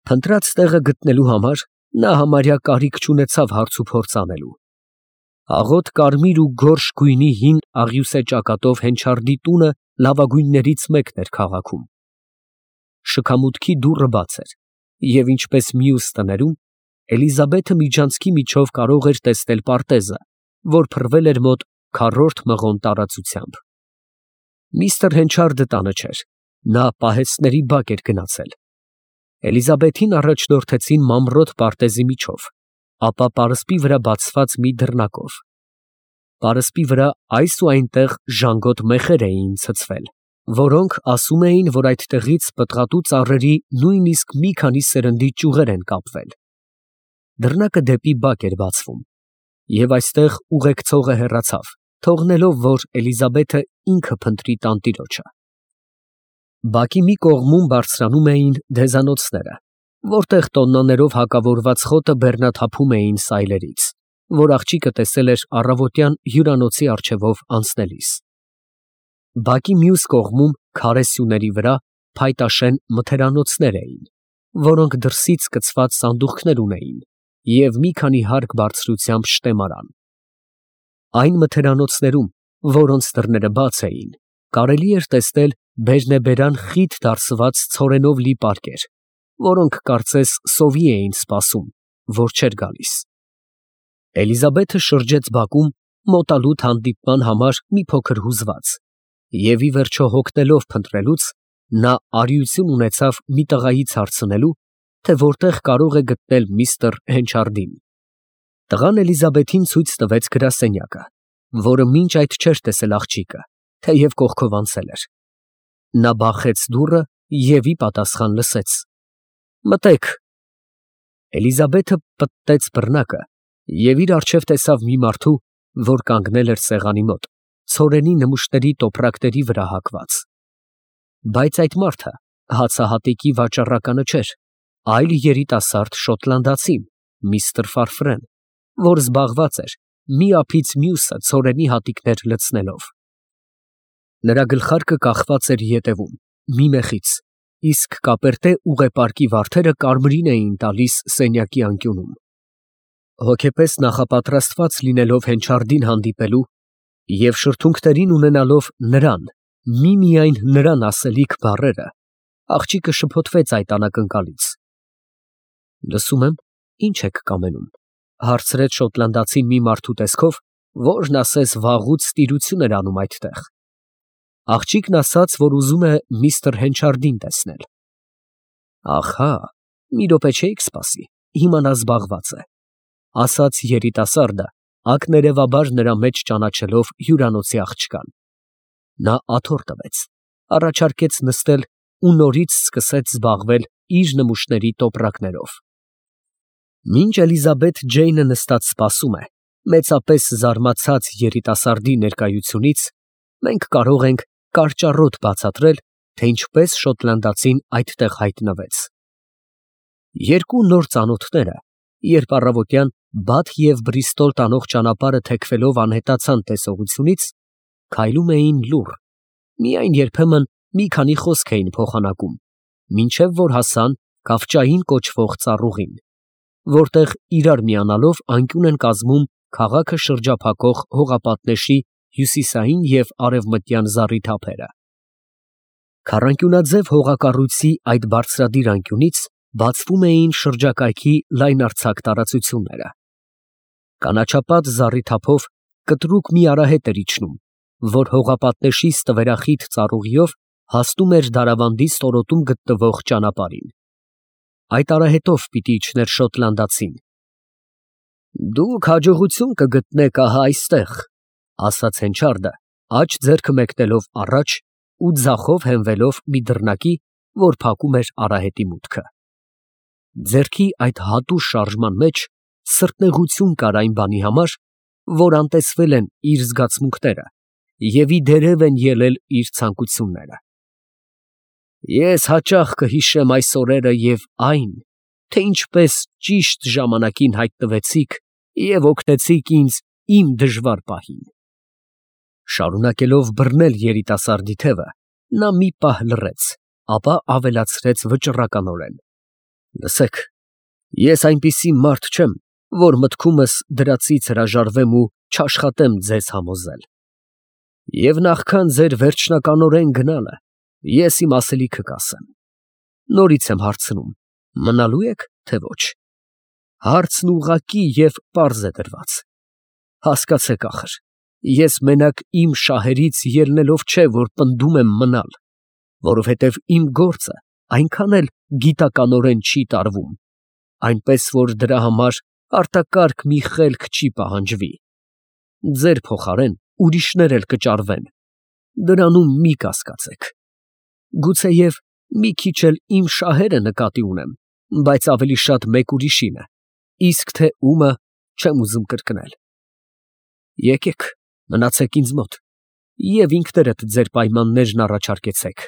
Փնտրած տեղը գտնելու համար նա համարյա կարիք չունեցավ հարց ու փորձ անելու։ Աղոտ կարմիր ու գորշ գույնի հին աղյուսե ճակատով հենչարդի տունը լավագույններից մեկն էր քաղաքում։ Շքամուտքի դուռը բաց էր, և ինչպես մյուս տներում, Էլիզաբեթը միջանցքի միջով կարող էր տեսնել պարտեզը, որ փռվել էր մոտ քառորդ մղոն տարածությամբ։ Միստր Հենչարդը տանը չէր, նա պահեստների բակ էր գնացել։ Էլիզաբեթին առաջնորդեցին մանրոտ պարտեզի միջով, ապա պարսպի վրա բացված մի դռնակով։ Պարսպի վրա այս ու այնտեղ ժանգոտ մեխեր էին ցցվել, որոնք ասում էին, որ այդտեղից պտղատու ծառերի նույնիսկ մի քանի սերնդի ճյուղեր են կապվել։ Դռնակը դեպի բակ էր բացվում, և այստեղ ուղեկցողը հեռացավ, թողնելով, որ Էլիզաբեթը ինքը փնտրի տանտիրոջը։ Բակի մի կողմում բարձրանում էին դեզանոցները, որտեղ տոննաներով հակավորված խոտը բեռնաթափում էին սայլերից, որ աղջիկը տեսել էր առավոտյան հյուրանոցի առջևով անցնելիս։ Բակի մյուս կողմում քարե սյուների վրա փայտաշեն մթերանոցներ էին, որոնք դրսից կցված սանդուղքներ ունեին և մի քանի հարկ բարձրությամբ շտեմարան։ Այն մթերանոցներում, որոնց դռները բաց էին, կարելի էր տեսնել բերնեբերան խիտ դարսված ցորենով լի պարկեր, որոնք կարծես սովի էին սպասում, որ չէր գալիս։ Էլիզաբեթը շրջեց բակում մոտալուտ հանդիպման համար մի փոքր հուզված, և ի վերջո հոգնելով փնտրելուց, նա արիություն ունեցավ մի տղայից հարցնելու, թե որտեղ կարող է գտնել միստր Հենչարդին։ Տղան Էլիզաբեթին ցույց տվեց գրասենյակը, որը մինչ այդ չէր տեսել աղջիկը, թեև կողքով անցել էր։ Նա բախեց դուռը և ի պատասխան լսեց. «Մտեք»։ Էլիզաբեթը պտտեց բռնակը և իր առջև տեսավ մի մարդու, որ կանգնել էր սեղանի մոտ, ցորենի նմուշների տոպրակների վրա հագված։ Բայց այդ մարդը հացահատիկի վաճառականը չէր, այլ երիտասարդ շոտլանդացի միստր Ֆարֆրեն, որ զբաղված էր մի ափից մյուսը ցորենի հատիկներ լցնելով։ Նրա գլխարկը կախված էր ետևում, մի մեխից, իսկ կապերտե ուղեպարկի վարդերը կարմրին էին տալիս սենյակի անկյունում։ Հոգեպես նախապատրաստված լինելով Հենչարդին հանդիպելու և շրթունքներին ունենալով նրան, միմիայն նրան ասելիք բառերը, աղջիկը շփոթվեց այդ անակնկալից։ «Լսում եմ, ի՞նչ եք կամենում», հարցրեց շոտլանդացին մի մարդու տեսքով, որն ասես վաղուց տիրություն էր անում այդտեղ։ Աղջիկն ասաց, որ ուզում է միստր Հենչարդին տեսնել։ «Ահա, մի րոպե չէիք սպասի, հիմա նա զբաղված է», ասաց երիտասարդը, ակներևաբար նրա մեջ ճանաչելով հյուրանոցի աղջկան։ Նա աթոռ տվեց, առաջարկեց նստել ու նորից սկսեց զբաղվել իր նմուշների տոպրակներով։ Մինչ Էլիզաբեթ Ջեյնը նստած սպասում է, մեծապես զարմացած երիտասարդի ներկայությունից, մենք կարող ենք կարճառոտ բացատրել, թե ինչպես շոտլանդացին այդտեղ հայտնվեց։ Երկու նոր ծանոթները, երբ առավոտյան Բաթ և Բրիստոլ տանող ճանապարհը թեքվելով անհետացան տեսողությունից, քայլում էին լուռ, միայն երբեմն մի քանի խոսք էին փոխանակում, մինչև որ հասան Կավճային կոչվող ծառուղին, որտեղ իրար միանալով անկյուն են կազմում քաղաքը շրջափակող հողապատնեշի հյուսիսային և արևմտյան զառիթափերը։ Քառանկյունաձև հողակառույցի այդ բարձրադիր անկյունից բացվում էին շրջակայքի լայնարձակ տարածությունները։ Կանաչապատ զառիթափով կտրուկ մի արահետ էր իջնում, որ հողապատնեշի ստվերախիտ ծառուղիով հասնում էր Դարավանդի ստորոտում գտնվող ճանապարհին։ Այդ արահետով պիտի իջներ շոտլանդացին։ «Դուք հաջողություն կգտնեք ահա այստեղ», ասաց Հենչարդը, աջ ձեռքը մեկնելով առաջ ու ձախով հենվելով մի դռնակի, որ փակում էր արահետի մուտքը։ Ձեռքի այդ հատուշ շարժման մեջ սրտնեղություն կար այն բանի համար, որ անտեսվել են իր զգացմունքները և ի դերև են ելել իր ցանկությունները։ «Ես հաճախ կհիշեմ այս օրերը և այն, թե ինչպես ճիշտ ժամանակին հայտնվեցիք և օգնեցիք ինձ իմ դժվար պահին»։ Շարունակելով բռնել երիտասարդի թևը, նա մի պահ լռեց, ապա ավելացրեց վճռականորեն. Լսեք, ես այնպիսի մարդ չեմ, որ մտքումս դրածից հրաժարվեմ ու չաշխատեմ ձեզ համոզել։ Եվ նախքան ձեր վերջնականորեն գնալը, ես իմ ասելիքը կասեմ։ Նորից եմ հարցնում, մնալու եք, թե ոչ։ Հարցն ուղղակի և պարզ է դրված։ Հասկացեք ախր, ես մենակ իմ շահերից ելնելով չէ, որ պնդում եմ մնալ, որովհետև իմ գործը այնքան էլ գիտականորեն չի տարվում, այնպես որ դրա համար արտակարգ մի խելք չի պահանջվի։ Ձեր փոխարեն ուրիշներ էլ կճարվեն, դրանում մի կասկածեք։ Գուցեև մի քիչ էլ իմ շահերը նկատի ունեմ, բայց ավելի շատ մեկ ուրիշինը, իսկ թե ումը չեմ ուզում կրկնել։ Եկեք, մնացեք ինձ մոտ և ինքներդ ձեր պայմաններն առաջարկեցեք։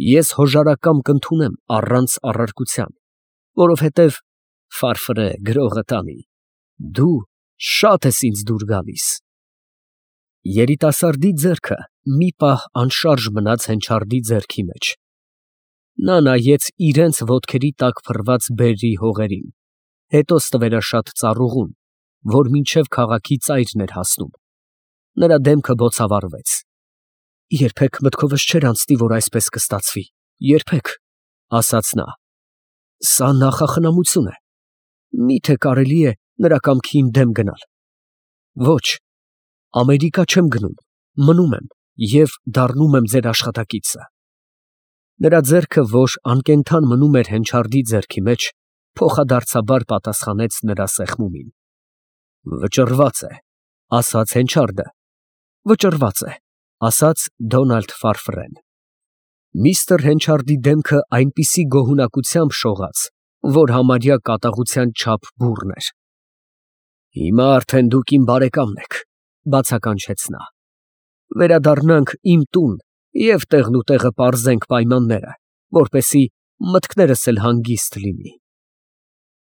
Ես հոժարակամ կընդունեմ առանց առարկության, որովհետև ֆարֆրե գրողը տանի, դու շատ ես ինձ դուր գալիս։ Երիտասարդի ձեռքը մի պահ անշարժ մնաց հենչարդի ձեռքի մեջ։ Նա նայեց իրենց ոտքերի տակ փռված բերրի հողերին, հետո ստվերաշատ ծառուղուն, որ մինչև քաղաքի ծայրն էր հասնում։ Նրա դեմքը բոցավառվեց։ Երբեք մտքովս չէր անցնի, որ այսպես կստացվի, երբեք, ասաց նա։ Սա նախախնամություն է։ Միթե կարելի է նրա կամքին դեմ գնալ։ Ոչ, Ամերիկա չեմ գնում, մնում եմ և դառնում եմ ձեր աշխատակիցը։ Նրա ձեռքը, որ անկենդան մնում էր հենչարդի ձեռքի մեջ, փոխադարձաբար պատասխանեց նրա սեղմումին։ Վճռված է, ասաց հենչարդը։ Վճռված է, ասաց Դոնալդ Ֆարֆրեն։ Միստր Հենչարդի դեմքը այնպիսի գոհունակությամբ շողաց, որ համարյա կատաղության չափ բուռն էր։ Հիմա արդեն դուք իմ բարեկամն եք, բացականչեց նա։ Վերադառնանք իմ տուն և տեղնուտեղը պարզենք պայմանները, որպեսզի մտքներս էլ հանգիստ լինի։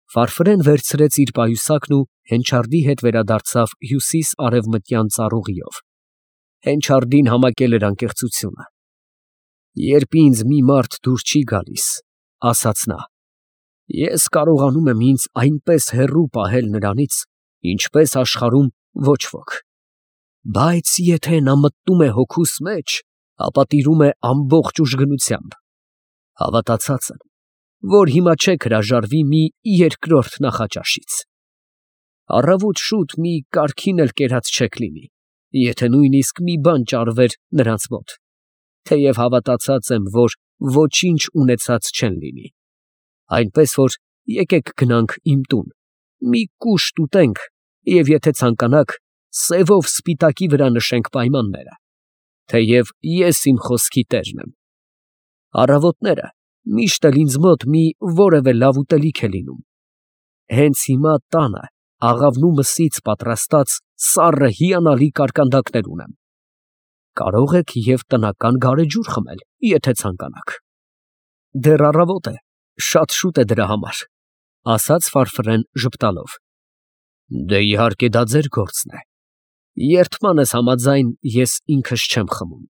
Ֆարֆրեն վերցրեց իր պայուսակն ու հենչարդի հետ վերադարձավ հյուսիս֊արևմտյան ծառուղիով։ Հենչարդին համակել էր անկեղծությունը։ Երբ ինձ մի մարդ դուր չի գալիս, ասաց նա, ես կարողանում եմ ինձ այնպես հեռու պահել նրանից, ինչպես աշխարհում ոչ ոք։ Բայց եթե նա մտնում է հոգուս մեջ, ապա տիրում է ամբողջ ուժգնությամբ։ Հավատացած եմ, որ հիմա չեք հրաժարվի մի երկրորդ նախաճաշից։ Առավոտ շուտ մի կարքին էլ կերած չեք լինի, եթե նույնիսկ մի բան ճարվեր նրանց մոտ, թեև հավատացած եմ, որ ոչինչ ունեցած չեն լինի։ Այնպես որ եկեք գնանք իմ տուն, մի կուշտ ուտենք և եթե ցանկանաք, սևով սպիտակի վրա նշենք պայմանները, թեև ես իմ խոսքի տերն եմ։ Առավոտները միշտ էլ ինձ մոտ մի որևէ լավ ուտելիք է լինում։ Հենց հիմա տանը աղավնու մսից պատրաստած սառը հիանալի կարկանդակներ ունեմ։ Կարող եք և տնական գարեջուր խմել, եթե ցանկանաք։ Դեռ առավոտ է, շատ շուտ է դրա համար, ասաց Ֆարֆրեն ժպտալով։ Դե իհարկե դա ձեր գործն է։ Երդմանս համաձայն ես ինքս չեմ խմում,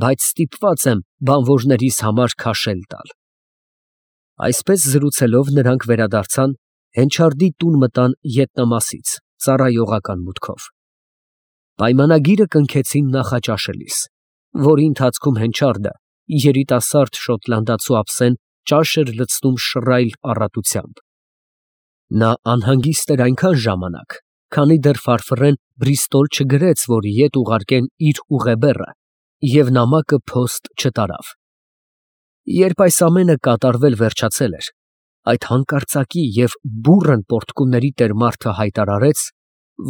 բայց ստիպված եմ բանվորներիս համար քաշել տալ։ Այսպես զրուցելով նրանք վերադարձան, հենչարդի տուն մտան ետնամասից, ծառայողական մուտքով։ Պայմանագիրը կնքեցին նախաճաշելիս, որի ընթացքում հենչարդը, երիտասարդ շոտլանդացու ափսեն, ճաշ էր լցնում շռայլ առատությամբ։ Նա անհանգիստ էր այնքան ժամանակ, քանի դեռ Ֆարֆրեն Բրիստոլ չգրեց, որ ետ ուղարկեն իր ուղեբեռը և նամակը փոստ չտարավ։ Երբ այս ամենը կատարվել վերջացել էր, այդ հանկարծակի և բուռն պոռթկումների տեր մարդը հայտարարեց,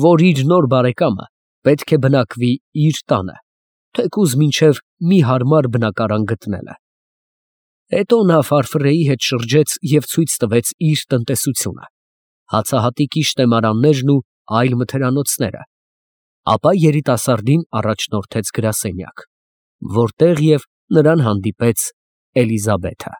որ իր նոր բարեկամը պետք է բնակվի իր տանը, թեկուզ մինչև մի հարմար բնակարան գտնելը։ Հետո նա Ֆարֆրեի հետ շրջեց և ցույց տվեց իր տնտեսությունը, հացահատիկի շտեմարաններն ու այլ մթերանոցները, ապա երիտասարդին առաջնորդեց գրասենյակ, որտեղ և նրան հանդիպեց Էլիզաբեթը։